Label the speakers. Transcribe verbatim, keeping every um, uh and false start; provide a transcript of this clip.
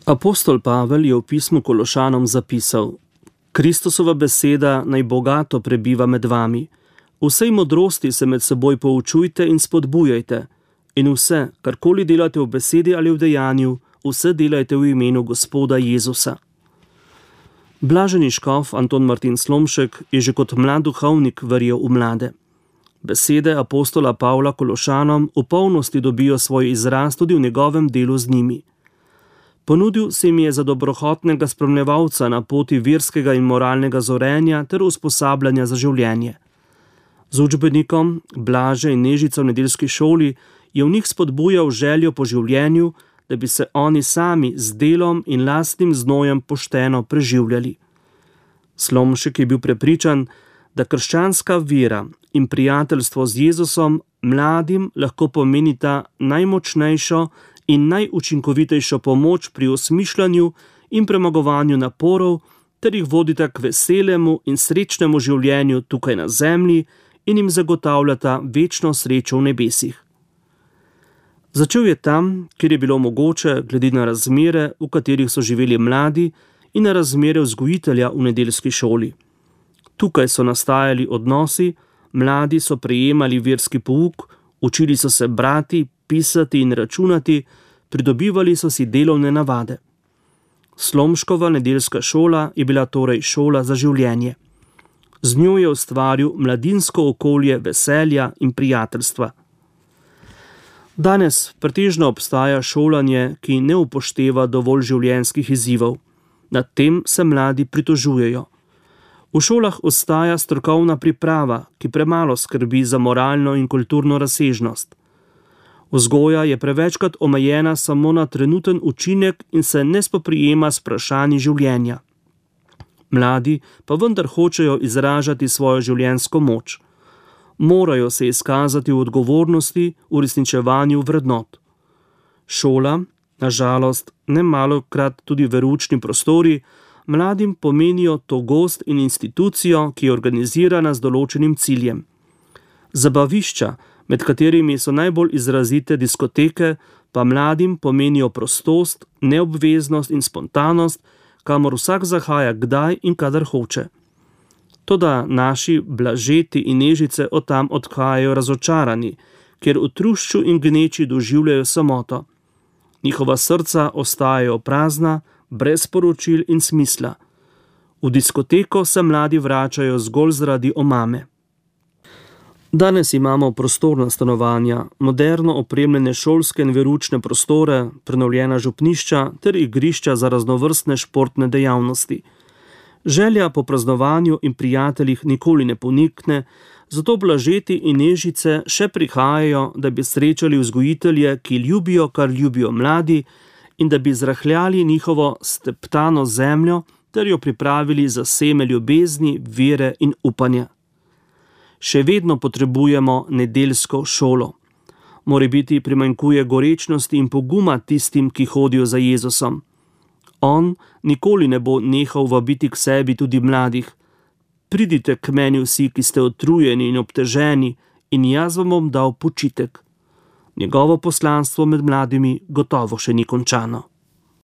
Speaker 1: Apostol Pavel je v pismu Kološanom zapisal: Kristusova beseda naj bogato prebiva med vami. V vsej modrosti se med seboj poučujte in spodbujajte. In vse, karkoli delate v besedi ali v dejanju, vse delajte v imenu Gospoda Jezusa. Blaženi škof Anton Martin Slomšek je že kot mlad duhovnik verjel v mlade. Besede apostola Pavla Kološanom v polnosti dobijo svoj izraz tudi v njegovem delu z njimi. Ponudil se jim je za dobrohotnega spremljevalca na poti verskega in moralnega zorenja ter usposabljanja za življenje. Z učbenikom Blaže in Nežica v nedeljski šoli je v njih spodbujal željo po življenju, da bi se oni sami z delom in lastnim znojem pošteno preživljali. Slomšek je bil prepričan, da krščanska vera in prijateljstvo z Jezusom mladim lahko pomenita najmočnejšo in najučinkovitejšo pomoč pri osmišljanju in premagovanju naporov, ter jih vodita k veselemu in srečnemu življenju tukaj na zemlji in jim zagotavljata večno srečo v nebesih. Začel je tam, kjer je bilo mogoče, glede na razmere, v katerih so živeli mladi, in na razmere vzgojitelja v nedeljski šoli. Tukaj so nastajali odnosi, mladi so prejemali verski pouk, učili so se brati, pisati in računati, pridobivali so si delovne navade. Slomškova nedeljska šola je bila torej šola za življenje. Z njo je ustvaril mladinsko okolje veselja in prijateljstva. Danes pretežno obstaja šolanje, ki ne upošteva dovolj življenjskih izzivov. Nad tem se mladi pritožujejo. V šolah ostaja strokovna priprava, ki premalo skrbi za moralno in kulturno razsežnost. Vzgoja je prevečkrat omejena samo na trenuten učinek in se ne spoprijema s vprašanji življenja. Mladi pa vendar hočejo izražati svojo življenjsko moč. Morajo se izkazati v odgovornosti, v uresničevanju vrednot. Šola, na žalost, ne malokrat tudi veroučni prostori, mladim pomenijo togost in institucijo, ki je organizirana z določenim ciljem. Zabavišča, med katerimi so najbolj izrazite diskoteke, pa mladim pomenijo prostost, neobveznost in spontanost, kamor vsak zahaja kdaj in kadar hoče. Toda naši Blažeti in Nežice od tam odhajajo razočarani, ker v trušču in gneči doživljajo samoto. Njihova srca ostajajo prazna, brez sporočil in smisla. V diskoteko se mladi vračajo zgolj zaradi omame. Danes imamo prostorna stanovanja, moderno opremljene šolske in veroučne prostore, prenovljena župnišča ter igrišča za raznovrstne športne dejavnosti. Želja po praznovanju in prijateljih nikoli ne ponikne, zato Blažeti in Nežice še prihajajo, da bi srečali vzgojitelje, ki ljubijo, kar ljubijo mladi, in da bi zrahljali njihovo steptano zemljo ter jo pripravili za seme ljubezni, vere in upanja. Še vedno potrebujemo nedeljsko šolo. Morebiti primanjkuje gorečnosti in poguma tistim, ki hodijo za Jezusom. On nikoli ne bo nehal vabiti k sebi tudi mladih. Pridite k meni vsi, ki ste utrujeni in obteženi, in jaz vam bom dal počitek. Njegovo poslanstvo med mladimi gotovo še ni končano.